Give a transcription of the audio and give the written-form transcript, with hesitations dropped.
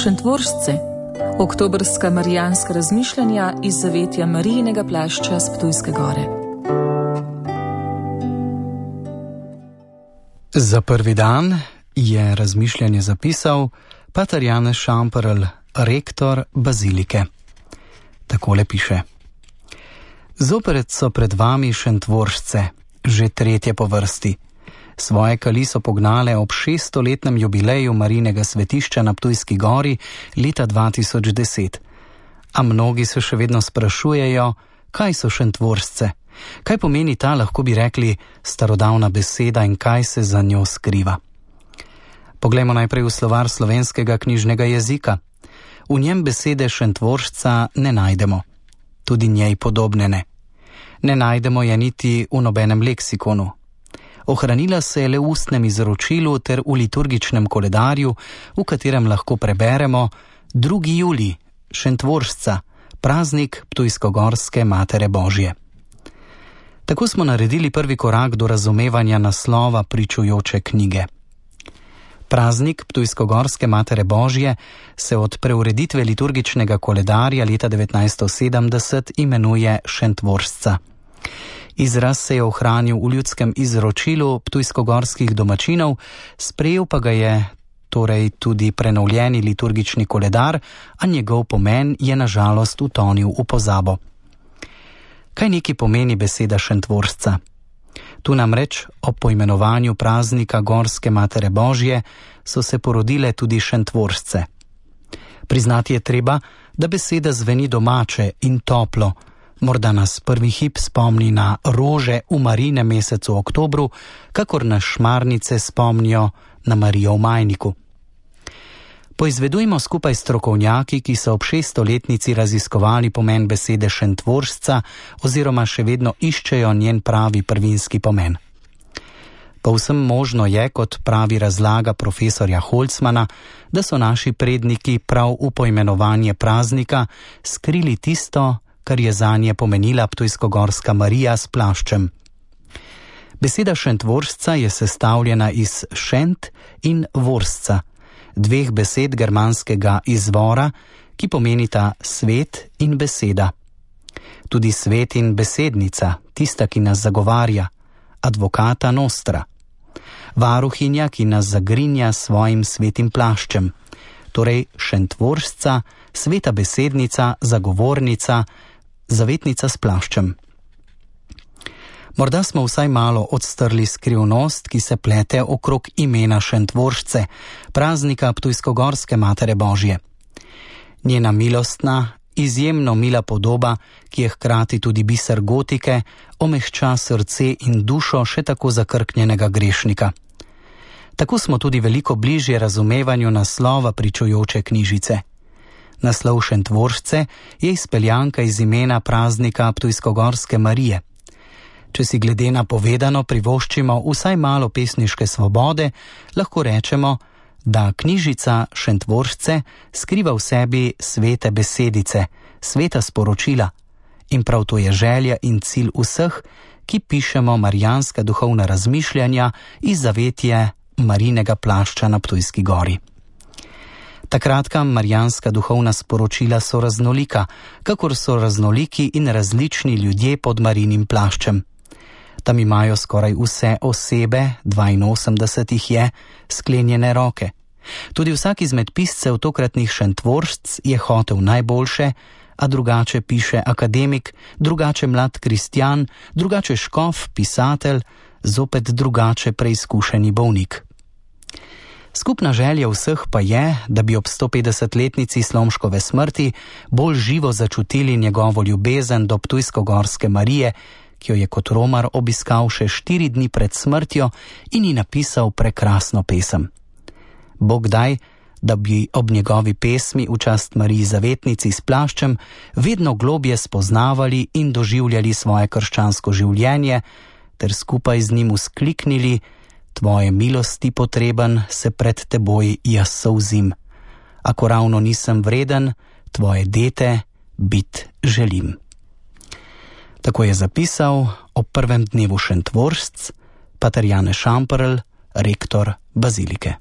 Šentvoržce, oktobrska marijanska razmišljanja iz zavetja Marijinega plašča s Ptujske gore. Za prvi dan je razmišljanje zapisal pater Janez Šamperl, rektor bazilike. Takole piše: Zopet so pred vami Šentvoržce, že tretje po vrsti. Svoje kali so pognale ob 600-letnem jubileju Marijinega svetišča na Ptujski gori leta 2010. A mnogi se še vedno sprašujejo, kaj so Šentvoržce, kaj pomeni ta, lahko bi rekli, starodavna beseda in kaj se za njo skriva. Poglejmo najprej v slovar slovenskega knjižnega jezika. V njem besede Šentvoržca ne najdemo, tudi njej podobne ne. Ne najdemo je niti v nobenem leksikonu. Ohranila se je le v ustnem izročilu ter v liturgičnem koledarju, v katerem lahko preberemo 2. julij, Šentvoržca, praznik Ptujskogorske Matere Božje. Tako smo naredili prvi korak do razumevanja naslova pričujoče knjige. Praznik Ptujskogorske Matere Božje se od preureditve liturgičnega koledarja leta 1970 imenuje Šentvoržca. Izraz se je ohranil v ljudskem izročilu ptujskogorskih domačinov, sprejel pa ga je torej tudi prenovljeni liturgični koledar, a njegov pomen je na žalost utonil v pozabo. Kaj neki pomeni beseda Šentvoržca? Tu namreč ob poimenovanju praznika Gorske Matere Božje so se porodile tudi Šentvoržce. Priznati je treba, da beseda zveni domače in toplo. Morda nas prvi hip spomni na rože v Marijinem mesecu oktobru, kakor na šmarnice spomnijo na Marijo v majniku. Poizvedujmo skupaj strokovnjaki, ki so ob 600-letnici raziskovali pomen besede Šentvoržca oziroma še vedno iščejo njen pravi prvinski pomen. Povsem možno je, kot pravi razlaga profesorja Holcmana, da so naši predniki prav v poimenovanje praznika skrili tisto, kar je zanje pomenila Ptujskogorska Marija s plaščem. Beseda Šentvoržca je sestavljena iz šent in voržca, dveh besed germanskega izvora, ki pomenita svet in beseda. Tudi svet in besednica, tista, ki nas zagovarja, advocata nostra. Varuhinja, ki nas zagrinja s svojim svetim plaščem. Torej Šentvoržca, sveta besednica, zagovornica, zavetnica s plaščem. Morda smo vsaj malo odstrli skrivnost, ki se plete okrog imena Šentvoržce, praznika Ptujskogorske Matere Božje. Njena milostna, izjemno mila podoba, ki je hkrati tudi biser gotike, omehča srce in dušo še tako zakrknjenega grešnika. Tako smo tudi veliko bližje razumevanju naslova pričujoče knjižice. Naslov Šentvoržce je izpeljanka iz imena praznika Ptujskogorske Marije. Če si glede na povedano privoščimo vsaj malo pesniške svobode, lahko rečemo, da knjižica Šentvoržce skriva v sebi svete besedice, sveta sporočila. In prav to je želja in cilj vseh, ki pišemo marijanska duhovna razmišljanja iz zavetje Marijinega plašča na Ptujski gori. Ta kratka marijanska duhovna sporočila so raznolika, kakor so raznoliki in različni ljudje pod Marijinim plaščem. Tam imajo skoraj vse osebe, 82 jih je, sklenjene roke. Tudi vsak izmed piscev tokratnih Šentvoržc je hotel najboljše, a drugače piše akademik, drugače mlad kristjan, drugače škof, pisatelj, zopet drugače preizkušeni bolnik. Skupna želja vseh pa je, da bi ob 150-letnici Slomškove smrti bolj živo začutili njegovo ljubezen do Ptujskogorske Marije, ki jo je kot romar obiskal še 4 dni pred smrtjo in ji napisal prekrasno pesem. Bog daj, da bi ob njegovi pesmi v čast Mariji Zavetnici s plaščem vedno globje spoznavali in doživljali svoje krščansko življenje, ter skupaj z njim vzkliknili: Tvoje milosti potreben, se pred teboj jaz solzim. Ako ravno nisem vreden, tvoje dete bit želim. Tako je zapisal ob prvem dnevu Šentvoržc pater Janez Šamperl, rektor bazilike.